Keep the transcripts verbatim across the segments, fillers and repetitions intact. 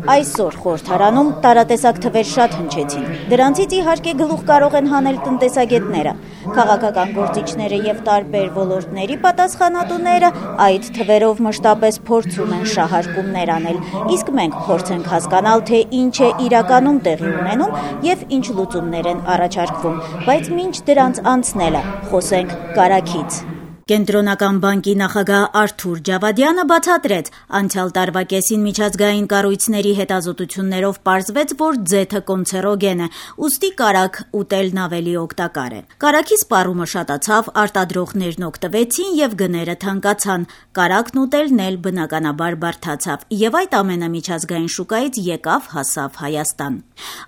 Այսօր խորհրդարանում տարատեսակ թվեր շատ հնչեցին։ Դրանցից իհարկե գլուխ կարող են հանել տնտեսագետները, քաղաքական գործիչները եւ տարբեր ոլորտների պատասխանատուները այդ թվերով մշտապես փորձում են շահարկումներ անել, իսկ մենք փորձենք հասկանալ, թե ինչ է իրականում տեղի ունենում եւ ինչ լուծումներ են առաջարկվում, բայց մինչ դրանց անցնելը խոսենք կարագից։ Կենտրոնական բանկի նախագահ Արթուր Ջավադյանը բացատրեց, անցյալ տարվա կեսին միջազգային կառույցների հետազոտություններով պարզվեց, որ ձեթը կոնցերոգեն է, ուստի կարագ ուտելն ավելի օգտակար է։ Կարագի սպառումը շատացավ, արտադրողներն օգտվեցին եւ գները թանկացան, կարագն ուտելն էլ բնականաբար բարդացավ եւ այդ ամենը միջազգային շուկայից եկավ հասավ Հայաստան։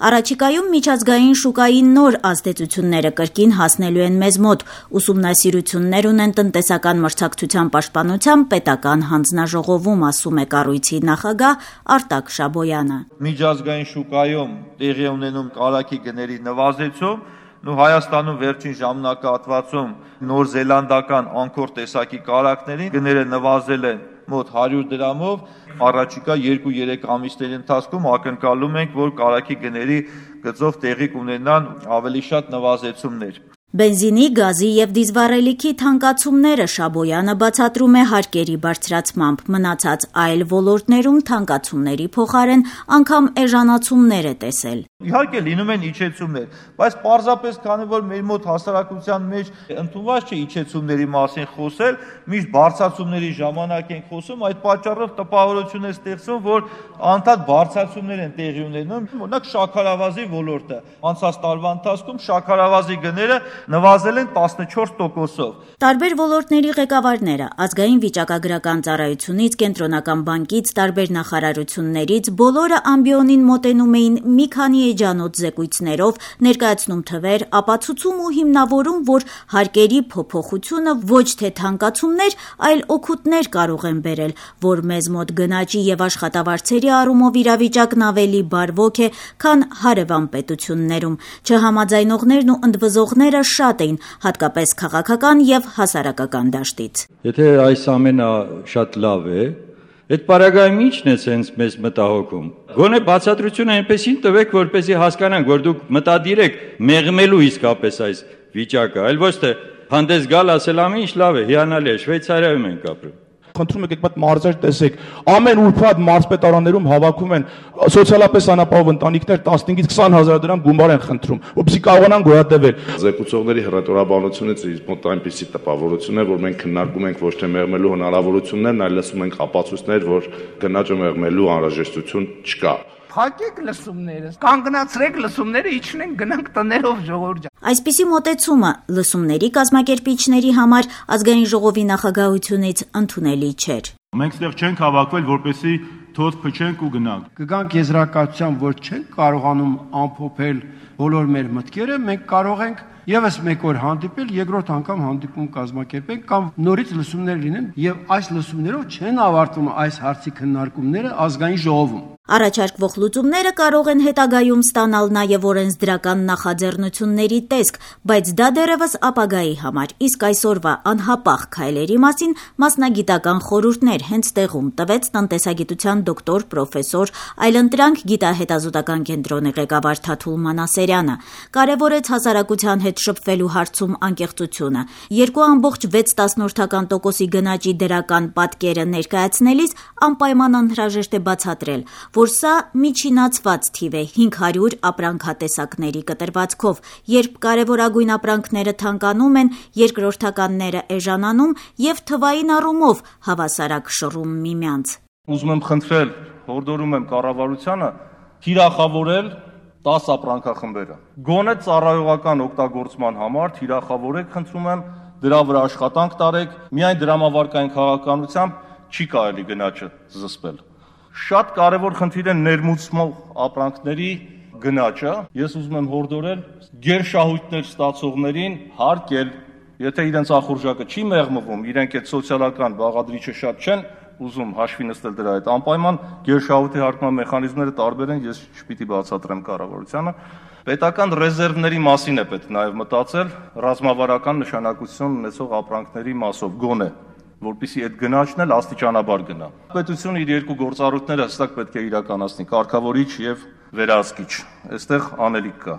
Առաջիկայում միջազգային շուկայի նոր ազդեցությունները կրկին հասնելու են մեզ մոտ, ուսումնասիրություններ ունեն տնտեսական մրցակցության պաշտպանության պետական հանձնաժողովում, ասում է կառույցի նախագահ Արտակ Շաբոյանը։ Միջազգային շուկայում տեղի ունենում կարագի գների նվազեցում, ու Հայաստանում վերջին ժամանակահատվածում նոր զելանդական անկոր տեսակի կարագների գները նվազել են մոտ հարյուր դրամով, առաջիկա երկու-երեք ամիսների ընթացքում ակնկալում ենք, որ կարագի գների գծով տեղի կունենան ավելի շատ նվազեցումներ։ Բենզինի, գազի եւ դիզվառելիքի թանկացումները Շաբոյանը բացատրում է հարկերի բարձրացմամբ, մնացած այլ ոլորտներում թանկացումների փոխարեն անգամ էժանացումներ է տեսել։ Իհարկե լինում են իջեցումներ, բայց պարզապես քանի որ մեր մոտ հասարակության մեջ ընդունված չէ իջեցումների մասին խոսել, միշտ բարձրացումների ժամանակ ենք խոսում, այդ պատճառով տպավորություն է ստեղծում, որ անդադ բարձրացումներ են տեղի ունենում, օրինակ շաքարավազի ոլորտը, անցած տարվա ընթացքում շաքարավազի գները նվազել են տասնչորս տոկոսով։ Տարբեր ոլորտների ղեկավարները ազգային վիճակագրական ծառայությունից, կենտրոնական բանկից, տարբեր նախարարություններից բոլորը ամբիոնին մոտենում էին մի քանի էջանոց զեկույցներով, ներկայացնում թվեր, ապացուցում ու հիմնավորում, որ հարկերի փոփոխությունը ոչ թե թանկացումներ, այլ օգուտներ կարող են բերել, որ մեզ մոտ գնաճի եւ աշխատավարձերի առումով իրավիճակն ավելի բարվոք է, քան հարևան պետություններում։ Չհամաձայնողներն ու ընդվզողները շատ էին, հատկապես քաղաքական եւ հասարակական դաշտից։ Եթե այս ամենը շատ լավ է, այդ պարագայում ի՞նչն է սենց մեզ մտահոգում։ Գոնե բացատրությունը այնպեսին տվեք, որպեսզի հասկանանք, որ դուք մտադիր եք մեղմելու իսկապես այս վիճակը, այլ ոչ թե հանդես գալ ասել ամեն ինչ լավ է, հիանալի է, Շվեյցարիայում ենք ապրում։ Խնդրում եք եկեք մարզեր տեսեք, ամեն ուրբաթ մարզպետարաններում հավաքում են սոցիալապես անապահով ընտանիքներ տասնհինգից քսան հազար դրամ գումար են խնդրում, որպեսզի կարողանան գոյատևել։ Զեկուցողների հռետորաբանությունից իր մոտ այնպիսի տպավորություն է, որ մենք քննարկում ենք ոչ թե մեղմելու հնարավորություններն, այլ լսում ենք ապացույցներ, որ գնաճը մեղմելու անհրաժեշտություն չկա։ Փակեք լսումները, կանգնացրեք լսումները, իջնենք գնանք տներով ժողովուրդ։ Այսպիսի մոտեցումը լսումների կազմակերպիչների համար ազգային ժողովի նախագահությունից ընդունելի չէր։ Մենք ստեղ չենք հավաքվել, որպեսզի թոթ փչենք ու գնանք։ Կգանք եզրակացության, որ չենք կարողանում ամփոփել բոլոր մեր մտքերը, մենք կարող ենք եւս մեկ օր հանդիպել, երկրորդ անգամ հանդիպում կազմակերպենք կամ նորից լսումներ լինեն եւ այս լսումներով չեն ավարտվում այս հարցի քննարկումները ազգային ժողովում։ Առաջարկվող լուծումները կարող են հետագայում ստանալ նաև օրենսդրական նախաձեռնությունների տեսք, բայց դա դեռևս ապագայի համար, իսկ այսօրվա անհապաղ քայլերի մասին մասնագիտական խորհուրդներ հենց տեղում տվեց տնտեսագիտության դոկտոր պրոֆեսոր այլընտրանք գիտահետազոտական կենտրոնի ղեկավար Թաթուլ Մանասերյանը, կարևորեց հասարակության հետ շփվելու հարցում անկեղծությունը, երկու ամբողջ վեց տասնորդական տոկոսի գնաճի դրական պատկերը ներկայացնելիս անպայման անհրաժեշտ է բացատրել, որ սա միջինացված թիվ է հինգ հարյուր ապրանքատեսակների կտրվածքով, երբ կարևորագույն ապրանքները թանկանում են, երկրորդականները էժանանում եւ թվային առումով հավասարակշռում միմյանց։ Ուզում եմ խնդրել, հորդորում եմ կառավարությանը թիրախավորել տասը ապրանքախմբերը։ Գոնե ծառայողական օգտագործման համար թիրախավորեք, խնդրում եմ, դրա վրա աշխատանք տարեք, միայն դրամավարկային քաղաքականությամբ չի կարելի գնաճը զսպել։ Շատ կարևոր խնդիր է ներմուծվող ապրանքների գնաճը։ Ես ուզում եմ հորդորել գերշահույթներ ստացողներին հարկել, եթե իրենց ախորժակը չի մեղմվում, իրենք այդ սոցիալական բաղադրիչը շատ չեն ուզում հաշվի նստել դրա հետ, անպայման գերշահույթի հարկման մեխանիզմները տարբեր են, ես չպիտի բացատրեմ կառավարությանը։ Պետական ռեզերվների մասին է պետք նաև մտածել ռազմավարական նշանակություն ունեցող ապրանքների մասով, գոնե որպեսզի այդ գնաճն էլ աստիճանաբար գնա։ Պետությունը իր երկու գործառույթները հստակ պետք է իրականացնի՝ կարգավորիչ եւ վերահսկիչ։ Այստեղ անելիք կա։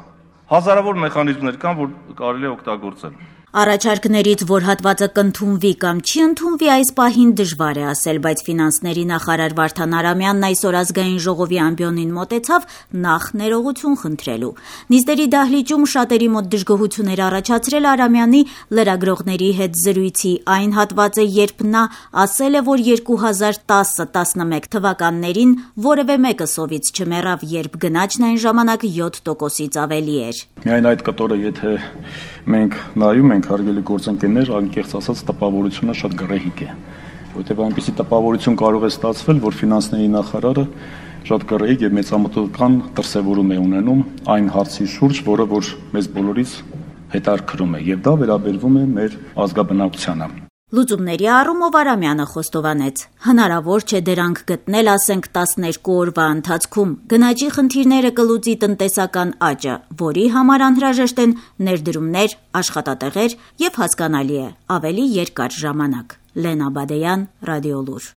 Հազարավոր մեխանիզմներ կան, որ կարելի է օգտագործել։ Առաջարկներից, որ հատվածը կընդունվի կամ չի ընդունվի, այս պահին դժվար է ասել, բայց ֆինանսների նախարար Վարդան Արամյանն այսօր ազգային ժողովի ամբիոնին մոտեցավ նախ ներողություն խնդրելու։ Նիստերի դահլիճում շատերի մոտ դժգոհություն էր առաջացրել Արամյանի լրագրողների հետ զրույցի այն հատվածը, երբ նա ասել է, որ երկու հազար տասը տասնմեկ թվականներին որևէ մեկը սովից չմեռավ, երբ գնաճն այն ժամանակ յոթ տոկոսից ավելի էր։ Միայն այդ կտորը, եթե մենք նայում ենք, հարգելի գործընկերներ, անկեղծ ասած տպավորությունը շատ գռեհիկ է, որտեղ այնպիսի տպավորություն կարող է ստացվել, որ ֆինանսների նախարարը շատ գռեհիկ եւ մեծամտական դրսեւորում է ունենում այն հարցի շուրջ, որը որ մեզ բոլորից հետաքրքրում է, եւ դա վերաբերվում է մեր ազգաբնակությանը։ Լուծումների առումով Արամյանը խոստովանեց. հնարավոր չէ դրանք գտնել, ասենք, տասներկու օրվա ընթացքում։ Գնաճի խնդիրները կլուծի տնտեսական աճը, որի համար անհրաժեշտ են ներդրումներ, աշխատատեղեր եւ հասկանալի է, ավելի երկար ժամանակ։ Լենա Բադեյան, Ռադիոլուր։